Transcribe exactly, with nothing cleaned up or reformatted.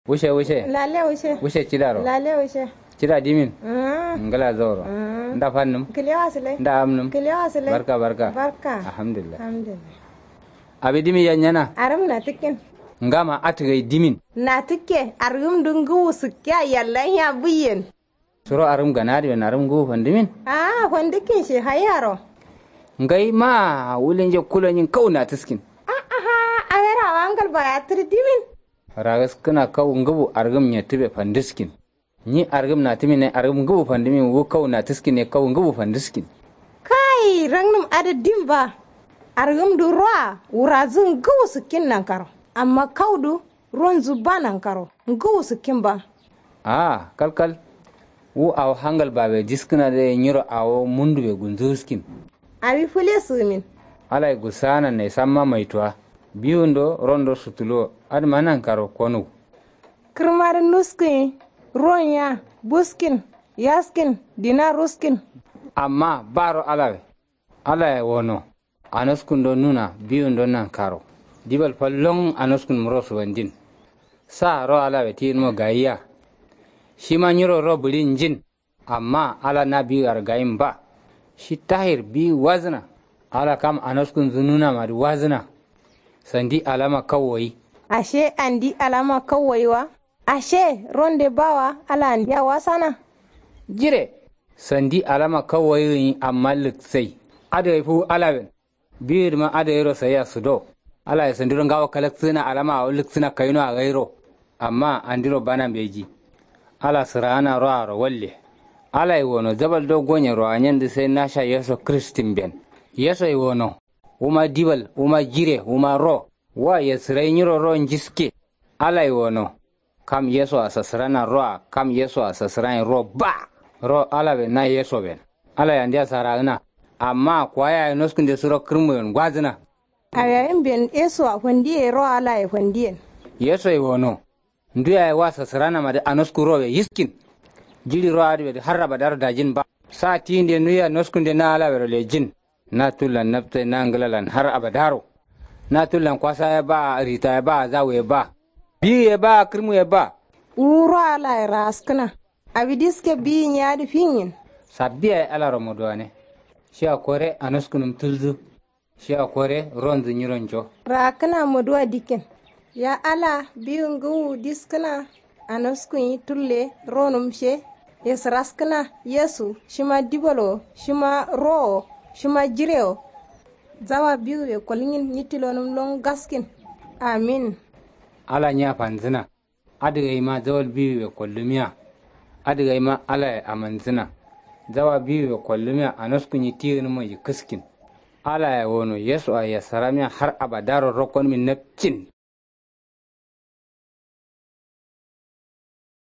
Wushe wushe. Lale wushe. Wushe cidaro. Lale wushe. Cida dimin. Ngla zauro. Nda fannum. Kilewa sile. Nda amnum. Kilewa sile. Barka barka. Barka. Alhamdulillah. Alhamdulillah. Abi dimin yanyana. Arum na tikkin. Ngama atigai dimin. Na tikke argum dungu wusukke yallan ya buyen. Suro argum gana dimin argum ngu fandimin. Aa fandikkin shi hayaro. Ngai ma wulinje kulonyin kau na tiskin. Aa aha. Awera wangal baya tirdimin. Ragas kǝna kau ngǝbu argǝm nyettǝbe fandǝskin. Nyi argǝm natǝmin ye argǝm ngǝbu fandǝmin wu kau natǝskin ye kau ngǝbu fandǝskin. Kai rangnǝm adǝ dim ba. Argǝm dǝ roa wurazǝ ngǝbu sǝkkin nankaro. Amma kau dǝ ronzǝ ba nankaro ngǝbu sǝkkin ba. Aa kalkal. Wu awo hangal babe diskǝna dǝ ye nyiro awo mundube gunzǝ wuskin. Awi fǝle sǝgǝmin. Alai gusana nai samma maituwa. Biwundo rondo sutuluwo adǝma nankaro konuw. Kǝrmadǝ nuskǝnyi. Ruwon ya buskin yaskin dina ruskin. Amma baro alawe. Alaye wono. Anaskundo nuna biwundo nankaro. Dibal fallon anaskun muro suwandin. Sa ro alawe tiyinmo gayiya. Shima nyiro ro bǝɍin njin. Amma ala na biyu argayin ba. Shi tahir biyu wazǝna. Ala kam anaskunzǝ nuna madǝ wazǝna. Sandi alama kawwayi. Ashe andi alama kawwayi wa. Ashe ronde bawa ala andiya wasana. Jire. Sandi alama kawwayi gǝnyi amma lǝksai. Adǝ gai fuwu alawen. Biwidǝma adǝ gairo saiya sudo. Alaye sandiro ngawo kalaksǝgǝna alama awo lǝksǝna kaino a gairo. Amma andiro bana mbeji. Ala sǝraana roaro walle. Alaye wono jabal do gonye roanyen dǝ sai nasha yesu kǝrǝstin ben. Yesoye wono. Wuma dibal wuma jire wuma ro. Wa yesǝrai nyiro ro njiske. Alaye wono. Kam yeso a sasǝrana ro a kam yeso a sasǝrain ro ba. Ro alawe na yeso ben. Alaye andiya saragǝna. Amma kuwa yaye noskǝnde suro kǝrmuyen ngwazǝna. Awiyayin ben yeso a fandiye ro alaye fandiyen. Yesoye wono. Ndu yaye wa sasǝrana madǝ anosku rowe yiskin. Jiɍi ro adǝ wedǝ har abadaro dajin ba. Sa tiyinde nuya noskǝnde na alawero lejin. Na tullan nabtai na ngǝlalan har abadaro. Na tullan kwasa ye ba rita ye ba zawu ye ba. Biyu ye ba kǝrmu ye ba. Wuro alaye raaskǝna. Awi diske biyin ye adǝ finyin. Sabbi yaye alaro moduwane. Shiya kore anoskǝnǝm tulzǝ. Shiya kore ronzǝ nyiro njo. Raakkǝna moduwa dikken. Ya ala biyu ngǝwu diskǝna. Anoskunyi tulle ronǝm she. Yesǝraskǝna yesu shima dibal wo shima ro wo shima jire wo. Zawa biwuwe kolnyin nyi tilonǝm lon gaskin. Amin. Ala nya fanzǝna. Adǝ gaima zawal biwuwe kollǝmiya. Adǝ gaima alaye amanzǝna. Zawa biwuwe kollǝmiya anoskunyi tiyinǝmma yikkǝskin. Alaye wono yesu a yesaramiya har abadaro rokkonǝmin napcin.